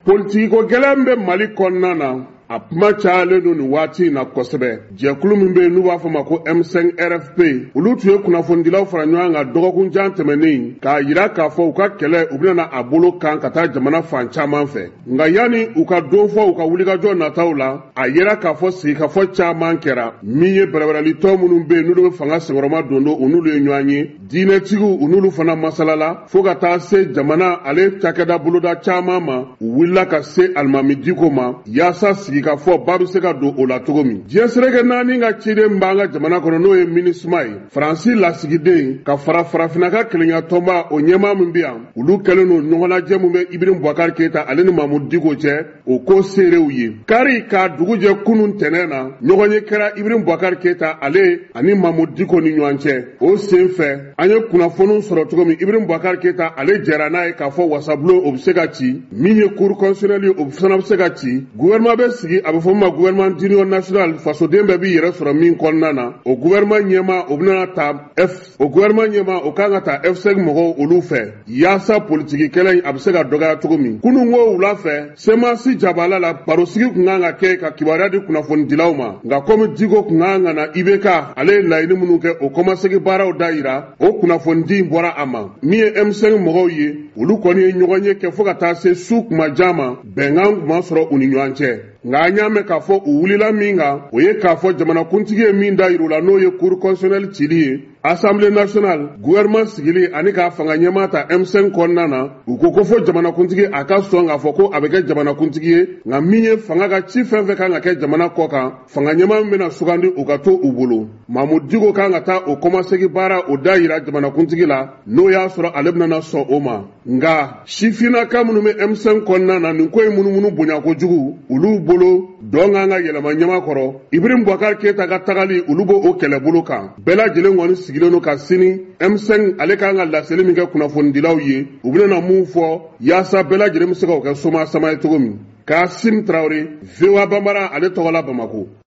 Politikiko gɛlɛn bɛ Mali kɔnɔna na, a kuma cayalen don nin waati in na kosɛbɛ. Jɛkulu min bɛ yen n'u b'a fɔ ma ko M5 RFP, olu tun ye kunnafonidilaw fara ɲɔgɔn kan dɔgɔkun jan tɛmɛnen k'a jira k'a fɔ u ka kɛlɛ u bɛna a bolo kan ka taa jamana fan caman fɛ. Nka yanni u ka don fɔ u ka wulikajɔ nataw la, a yera k'a fɔ sigikafɔ caman kɛra. Min ye bɛrɛbɛrɛlitɔn minnu bɛ yen n'olu bɛ fanga senkɔrɔma don don, u n'olu ye ɲɔgɔn ye. Diinɛtigiw u n'olu fana masalala fo ka taa se jamana ale cakɛda boloda caman ma. U wulila ka se alimami Diko ma yaasa sigikafɔ ba bɛ se ka don o la cogo min. Diɲɛ seleke naani ka ciden b'an ka jamana kɔnɔ, n'o ye MINUSMA ye, Faransi lasigiden ka fara farafinna ka kelenya tɔnba o ɲɛmaa min bɛ yan, olu kɛlen don ɲɔgɔnlajɛ min bɛ Ibrahim Boubacar Keita ale ni Mamudu Diko cɛ, o ko seerew ye. Kari k'a dugu jɛ kunun tɛnɛn na, ɲɔgɔnye kɛra Ibrahim Boubacar Keita ale ani Mamudu Diko ni ɲɔgɔn cɛ. O sen fɛ, an ye kunnafoniw sɔrɔ cogo min, Ibrahim Boubacar Keita ale jɛra n'a ye k'a fɔ wasabulon o bɛ se ka ci, min ye cour constitutionnelle o fana bɛ se ka ci, gouvernement bɛ sigi, a bɛ fɔ min ma gouvernement d'union nationale, fasoden bɛɛ b'i yɛrɛ sɔrɔ min kɔnɔna na. O gouvernement ɲɛmaa o bɛna ta F o gouvernement ɲɛmaa o kan ka ta F5 mɔgɔw olu fɛ yaasa politiki kɛlɛ in a bɛ se ka dɔgɔya cogo min. Kunun ko wula fɛ, CMAS jabala la, barosigi tun kan ka kɛ ka kibaruya di kunnafonidilaw ma. Nka komi Diko tun kan ka na IBK ale ye laɲini minnu kɛ o kɔmasegin baaraw da yira, o kunnafonidi in bɔra a ma. Min ye M5 mɔgɔw ye, olu kɔni ye ɲɔgɔnye kɛ fo ka taa se su kuma jan ma, bɛnkan tun ma sɔrɔ u ni ɲɔgɔn cɛ. Nka an y'a mɛn k'a fɔ u wulila min kan, o ye k'a fɔ jamanakuntigi ye min da yir'u la, n'o ye cour constitutionnelle cili ye, Assemblée nationale, gouvernement sigili ani k'a fanga ɲɛmaa ta M5 kɔnɔna na. U ko ko fo jamanakuntigi a ka sɔn k'a fɔ ko a bɛ kɛ jamanakuntigi ye, nka min ye fanga ka ci fɛn fɛn kan ka kɛ jamana kɔ kan, fanga ɲɛmaa min bɛna sugandi o ka to u bolo. Mamudu Diko kan ka taa o kɔmasegin baara o da yira jamanakuntigi la, n'o y'a sɔrɔ ale bɛna sɔn o ma. Nka sifinnaka minnu bɛ M5 kɔnɔna na, nin ko in munumunu bonya kojugu olu bolo, dɔn kan ka yɛlɛma ɲɛma kɔrɔ. Ibrahim Boubacar Keita ka tagali, olu b'o kɛlɛbolo kan. Bɛɛ lajɛlen kɔni sigilen don ka sini M5 ale kan ka laseli min kɛ kunnafonidilaw ye, u bɛna mun fɔ yaasa bɛɛ lajɛlen bɛ se ka o kɛ soma sama ye cogo min. Kasim Traoré, VOA Bambara ale tɔgɔ la Bamako.